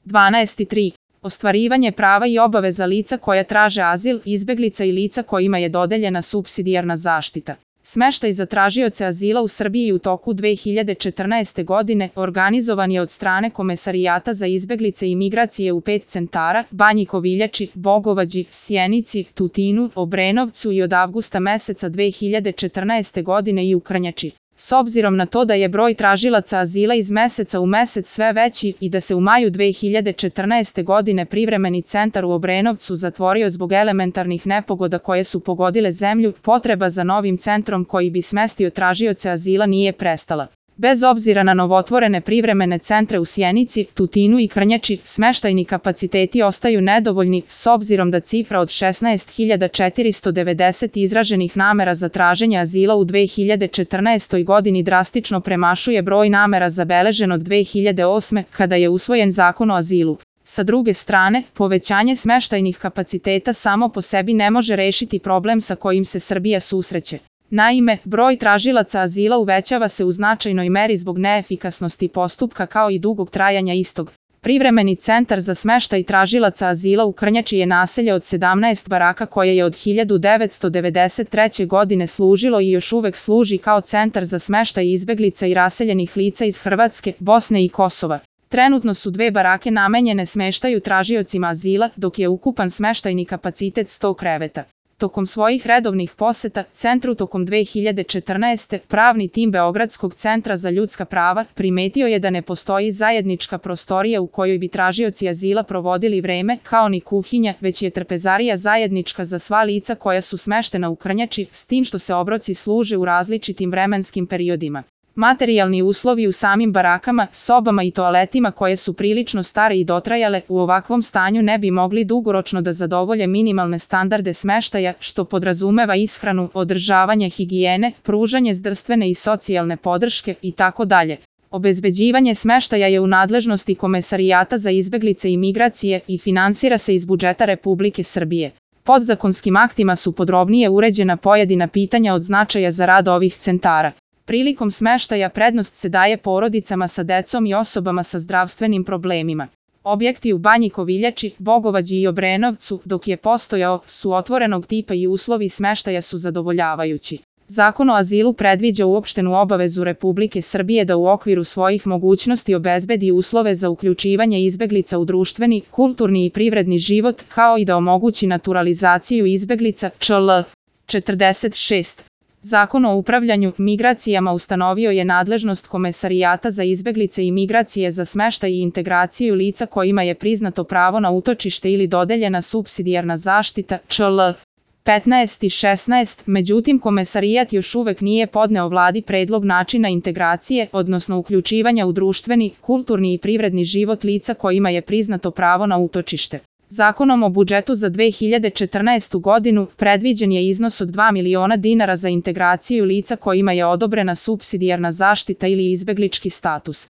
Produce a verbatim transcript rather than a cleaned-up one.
dvanaest tri. Ostvarivanje prava i obaveza lica koja traže azil, izbeglica i lica kojima je dodeljena supsidijarna zaštita. Smeštaj za tražioce azila u Srbiji u toku dve hiljade četrnaeste. godine organizovan je od strane Komesarijata za izbeglice i migracije u pet centara: Banji Koviljači, Bogovađi, Sjenici, Tutinu, Obrenovcu i od avgusta meseca dve hiljade četrnaeste. godine i u Krnjači. S obzirom na to da je broj tražilaca azila iz meseca u mesec sve veći i da se u maju dve hiljade četrnaeste. godine privremeni centar u Obrenovcu zatvorio zbog elementarnih nepogoda koje su pogodile zemlju, potreba za novim centrom koji bi smestio tražioce azila nije prestala. Bez obzira na novotvorene privremene centre u Sjenici, Tutinu i Krnjači, smeštajni kapaciteti ostaju nedovoljni s obzirom da cifra od šesnaest hiljada četiristo devedeset izraženih namera za traženje azila u dve hiljade četrnaestoj. godini drastično premašuje broj namera zabeležen od dve hiljade osme. kada je usvojen Zakon o azilu. Sa druge strane, povećanje smeštajnih kapaciteta samo po sebi ne može rešiti problem sa kojim se Srbija susreće. Naime, broj tražilaca azila uvećava se u značajnoj meri zbog neefikasnosti postupka kao i dugog trajanja istog. Privremeni centar za smeštaj tražilaca azila u Krnjači je naselje od sedamnaest baraka koje je od hiljadu devetsto devedeset treće. godine služilo i još uvek služi kao centar za smeštaj izbeglica i raseljenih lica iz Hrvatske, Bosne i Kosova. Trenutno su dve barake namenjene smeštaju tražiocima azila, dok je ukupan smeštajni kapacitet sto kreveta. Tokom svojih redovnih poseta centru tokom dve hiljade četrnaeste. pravni tim Beogradskog centra za ljudska prava primetio je da ne postoji zajednička prostorija u kojoj bi tražioci azila provodili vreme, kao ni kuhinja, već je trpezarija zajednička za sva lica koja su smeštena u Krnjači, s tim što se obroci služe u različitim vremenskim periodima. Materijalni uslovi u samim barakama, sobama i toaletima koje su prilično stare i dotrajale, u ovakvom stanju ne bi mogli dugoročno da zadovolje minimalne standarde smeštaja, što podrazumeva ishranu, održavanje higijene, pružanje zdravstvene i socijalne podrške itd. Obezbeđivanje smeštaja je u nadležnosti Komesarijata za izbeglice i migracije i finansira se iz budžeta Republike Srbije. Podzakonskim aktima su podrobnije uređena pojedina pitanja od značaja za rad ovih centara. Prilikom smeštaja prednost se daje porodicama sa decom i osobama sa zdravstvenim problemima. Objekti u Banji Koviljači, Bogovađi i Obrenovcu, dok je postojao, su otvorenog tipa i uslovi smeštaja su zadovoljavajući. Zakon o azilu predviđa uopštenu obavezu Republike Srbije da u okviru svojih mogućnosti obezbedi uslove za uključivanje izbeglica u društveni, kulturni i privredni život, kao i da omogući naturalizaciju izbeglica, čl. četrdeset šest. Zakon o upravljanju migracijama ustanovio je nadležnost Komesarijata za izbeglice i migracije za smeštaj i integraciju lica kojima je priznato pravo na utočište ili dodeljena supsidijarna zaštita, čl. petnaest i šesnaest. Međutim, Komesarijat još uvek nije podneo vladi predlog načina integracije, odnosno uključivanja u društveni, kulturni i privredni život lica kojima je priznato pravo na utočište. Zakonom o budžetu za dve hiljade četrnaestu. godinu predviđen je iznos od dva miliona dinara za integraciju lica kojima je odobrena supsidijarna zaštita ili izbeglički status.